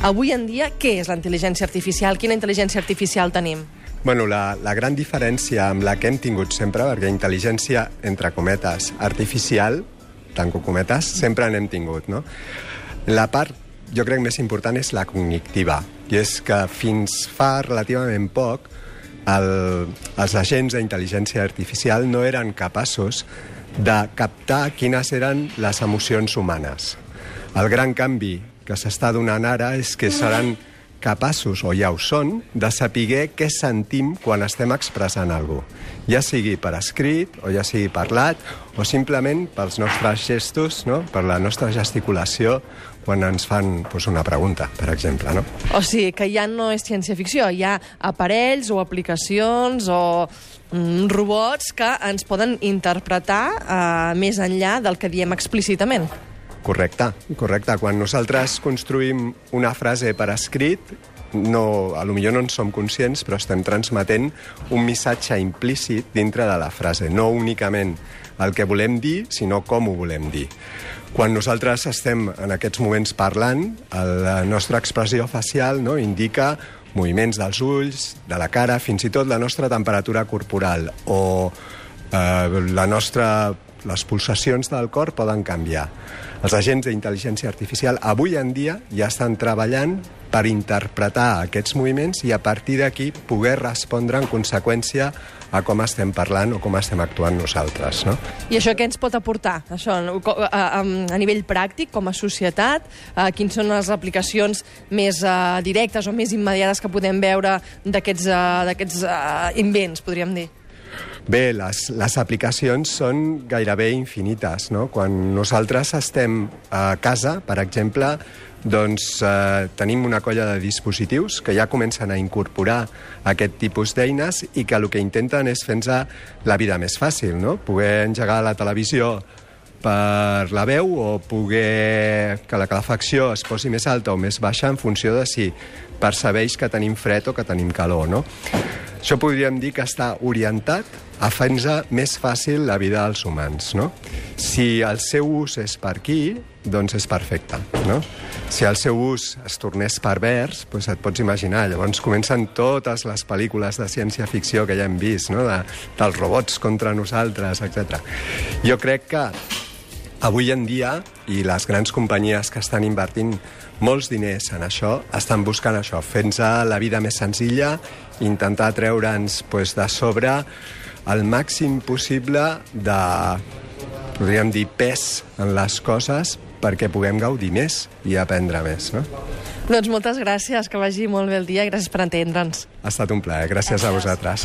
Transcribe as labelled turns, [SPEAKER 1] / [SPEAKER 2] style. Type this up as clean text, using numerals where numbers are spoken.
[SPEAKER 1] Avui en dia, què és la intel·ligència artificial? Quina intel·ligència artificial tenim?
[SPEAKER 2] Bueno, la gran diferència amb la que hem tingut sempre, perquè intel·ligència, entre cometes, artificial, tanco cometes, sempre n'hem tingut, no? La part, jo crec, més important és la cognitiva, i és que fins fa relativament poc els agents d'intel·ligència artificial no eren capaços de captar quines eren les emocions humanes. El gran canvi que s'està donant ara és que seran capaços, o ja ho són, de saber què sentim quan estem expressant alguna cosa. Ja sigui per escrit, o ja sigui parlat, o simplement pels nostres gestos, no? Per la nostra gesticulació, quan ens fan una pregunta, per exemple. No?
[SPEAKER 1] O sigui, que ja no és ciència-ficció, hi ha aparells o aplicacions o robots que ens poden interpretar més enllà del que diem explícitament.
[SPEAKER 2] Correcte. Quan nosaltres construïm una frase per escrit, potser no en som conscients, però estem transmetent un missatge implícit dintre de la frase, no únicament el que volem dir, sinó com ho volem dir. Quan nosaltres estem en aquests moments parlant, la nostra expressió facial indica moviments dels ulls, de la cara, fins i tot la nostra temperatura corporal o les pulsacions del cor poden canviar. Els agents d'intel·ligència artificial avui en dia ja estan treballant per interpretar aquests moviments i a partir d'aquí poder respondre en conseqüència a com estem parlant o com estem actuant nosaltres. No?
[SPEAKER 1] I això què ens pot aportar? Això, a nivell pràctic, com a societat, quines són les aplicacions més directes o més immediates que podem veure d'aquests invents, podríem dir?
[SPEAKER 2] Bé, les aplicacions són gairebé infinites, no? Quan nosaltres estem a casa, per exemple, doncs tenim una colla de dispositius que ja comencen a incorporar aquest tipus d'eines i que el que intenten és fer-nos la vida més fàcil, no? Poder engegar la televisió per la veu o poder que la calefacció es posi més alta o més baixa en funció de si percebeix que tenim fred o que tenim calor, no? Això podríem dir que està orientat a fer-nos més fàcil la vida dels humans, no? Si el seu ús és per aquí, doncs és perfecte, no? Si el seu ús es tornés pervers, doncs et pots imaginar, llavors comencen totes les pel·lícules de ciència-ficció que ja hem vist, no? Dels robots contra nosaltres, etc. Jo crec que avui en dia, i les grans companyies que estan invertint molts diners en això, estan buscant això, fer-nos la vida més senzilla, intentar treure'ns de sobre el màxim possible de, podríem dir, pes en les coses perquè puguem gaudir més i aprendre més, no?
[SPEAKER 1] Doncs moltes gràcies, que vagi molt bé el dia i gràcies per entendre'ns.
[SPEAKER 2] Ha estat un plaer, gràcies a vosaltres.